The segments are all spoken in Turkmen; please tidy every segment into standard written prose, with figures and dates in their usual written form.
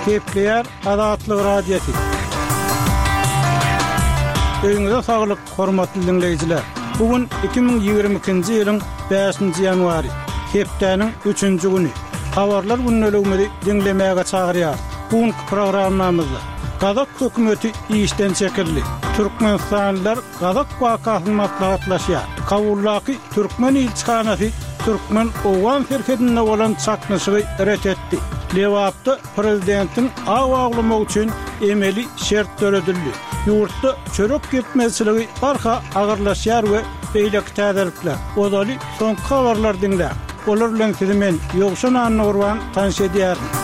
Gepleýär Azatlyk Radiosy. Öýüňize saglyk, hormatly diňleýjiler! Bu gün 2022-nji ýylyň bäşinji ýanwary, hepdäniň üçünji güni. Habarlar gündeligimizi diňlemäge çagyrýarys. Bu günki programmamyzda Gazak hökümeti işden çekildi. Türkmenistanlylar Gazak wakasyny maslahatlaşýar. Kabuldaky türkmen ilçihanasy türkmen-owgan serhedinde bolan çaknyşygy ret etdi. Lebapda prezidentiň aw awlamak üçin emeli şert döredildi. Ýurtda çörek ýetmezçiligi barha agyrlaşýar we beýleki täzelikler. Ozaly soňky habarlary diňläň. Olar bilen sizi men, Ýowşan Annagurban tanyş edýärin.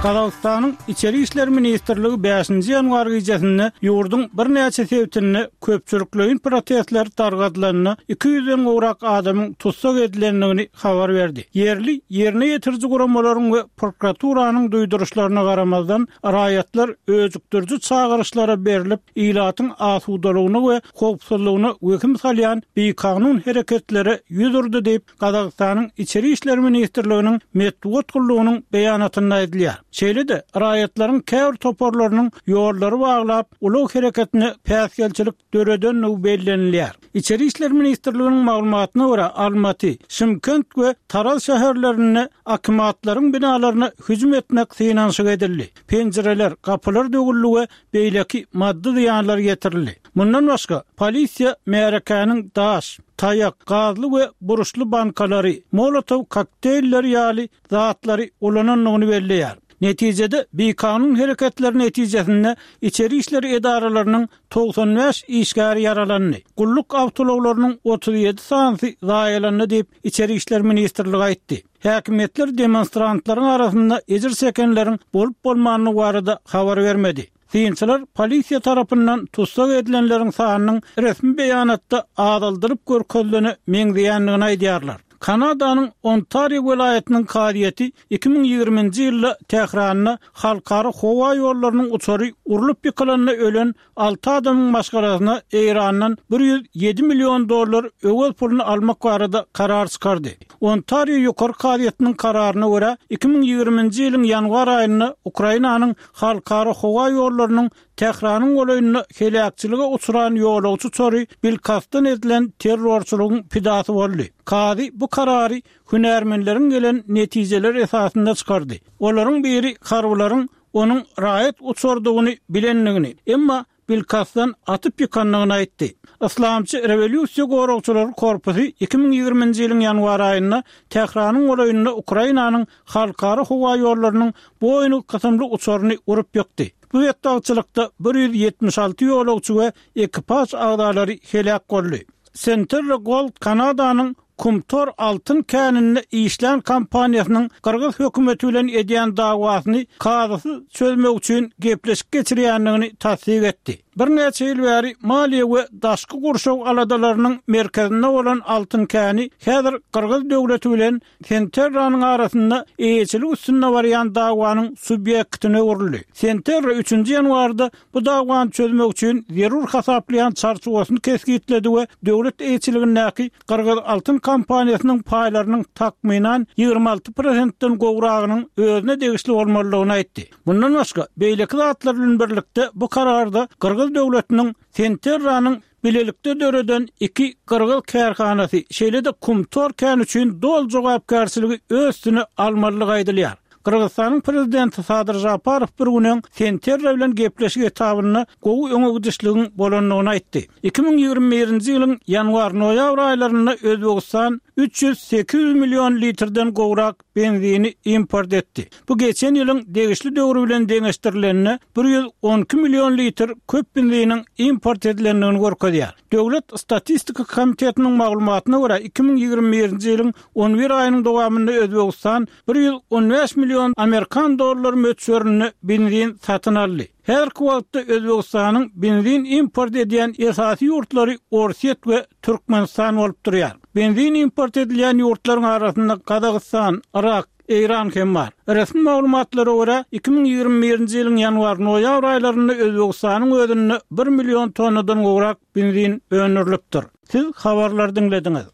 Gazagystanyň Içeri işler ministrligi bäşinji ýanwar gijesinde ýurduň birnäçe sebitinde köpçülikleýin protestler dargadylanda 200-den gowrak adamyň tussag edilendigini habar berdi. Ýerli ýerine ýetiriji guramalaryň we prokuraturanyň duýduryşlaryna garamazdan, raýatlar öjükdiriji çagyryşlara berlip, ilatyň asudalygyna we howpsuzlygyna wehim salýan bikanun hereketlere ýüz urdy diýip, Gazagystanyň Içeri işler ministrliginiň metbugat gullugynyň beýanatynda aýdylýar. Şeýle-de, raýatlaryň käbir toparlarynyň ýollary baglap, ulag hereketine päsgelçilik döredendigi bellenilýär. Içeri işler ministrliginiň maglumatyna görä, Almaty, Şymkent we Taraz şäherlerinde akimatlaryň binalaryna hüjüm etmek synanyşygy edildi. Penjireler, gapylar döwüldi we beýleki maddy zyýanlar ýetirildi. Mundan başga, polisiýa märekäniň daş, taýak, gazly we burçly bankalary, molotow kokteýlleri ýaly zatlary ulanandygyny belleýär. Netijede, bikanun hereketler netijesinde içeri işler edaralarynyň 95 işgäri ýaralandy, gulluk awtoulaglarynyň 37 sanysy zaýalandy diýip, Içeri işler ministrligi aýtdy. Häkimiýetler demonstrantlaryň arasynda ejir çekenleriň bolup-bolmandygy barada habar bermedi. Synçylar polisiýa tarapyndan tussag edilenleriň sanynyň resmi beýanatda azaldylyp görkezilene meňzeýändigini aýdýarlar. Kanadanyň Ontario welaýatynyň kazyýeti 2020-nji ýylda Tähranda halkara howa ýollarynyň uçary urlup ýykylanda ölen Alty adamyň maşgalasyna Eýrandan 107 million dollar öwez puluny almak barada karar çykardy. Ontario Ýokary kazyýetiniň kararyna görä, 2020-nji ýylyň ýanwar aýynda Ukrainanyň halkara howa ýollarynyň Tähranyň golaýynda heläkçilige uçran ýolagçy uçary bilkastdan edilen terrorçylygyň pidasy boldy. Kazy bu karary hünärmenleriň gelen netijeleri esasynda çykardy. Olaryň biri harbylaryň onuň raýat uçardygyny bilendigini, emma bilkastdan atyp ýykandygyny aýtdy. Yslamçy Rewolýusiýa goragçylary korpusy 2020-nji ýylyň ýanwar aýynda Tähranyň golaýynda Ukrainanyň halkara howa ýollarynyň Boeing kysymly uçaryny urup ýykdy. Bu betbagtçylykda 176 ýolagçy we ekipaž agzalary heläk boldy. Centerra Gold Kanadanyň Kumtor altyn käninde işlän kompaniýasynyň gyrgyz hökümeti bilen edýän dawasyny kazysyz çözmek üçin gepleşik geçirýändigini tassyk etdi. Birnäçe ýyl bäri maliýe we daşky gurşaw aladalarynyň merkezinde bolan altyn käni häzir gyrgyz döwleti bilen Senterranyň arasynda eýeçilik üstünde barýan dawanyň subýektine öwrüldi. Senterra üçünji ýanwarda bu dawany çözmek üçin zerur hasaplaýan çarçuwasyny kesgitledi we döwlet eýeçiligindäki Gyrgyz altyn kompaniýasynyň paýlarynyň takmynan 26 prosentden gowragynyň özüne degişli bolmalydygyny aýtdy. Mundan başga, beýleki zatlar bilen birlikde bu kararda gyrgyz döwletiniň Senterranyň bilelikde döreden iki gyrgyz kärhanasy, şeýle-de Kumtor käni üçin doly jogapkärçiligi öz üstüne almalydygy aýdylýar. Gyrgyzystanyň prezidenti Sadyr Žaparow bir gün öň Senterra bilen gepleşik etabynda gowy öňe gidişligiň bolandygyny aýtdy. 2021-nji ýylyň ýanwar-noýabr aýlarynda Özbegistan 300-800 million litrden gowrak benzini import etdi. Bu geçen ýylyň degişli döwri bilen deňeşdirilende 112 million litr köp benziniň import edilendigini görkezýär. Döwlet statistika komitetiniň maglumatyna görä, 2021-nji ýylyň on bir aýynyň dowamynda Özbegistan 115 million amerikan dollary möçberinde benzin satyn aldy. Häzirki wagtda Özbegistanyň benzin import edýän esasy ýurtlary Orsýet we Türkmenistan bolup durýar. Benzin import edilýän ýurtlaryň arasynda Gazagystan, Yrak, Eýran hem bar. Resmi maglumatlara görä, 2021-nji ýylyň ýanwar-noýabr aýlarynda Özbegistanyň özünde bir million tonnadan gowrak benzin öndürilipdir. Siz habarlary diňlediňiz.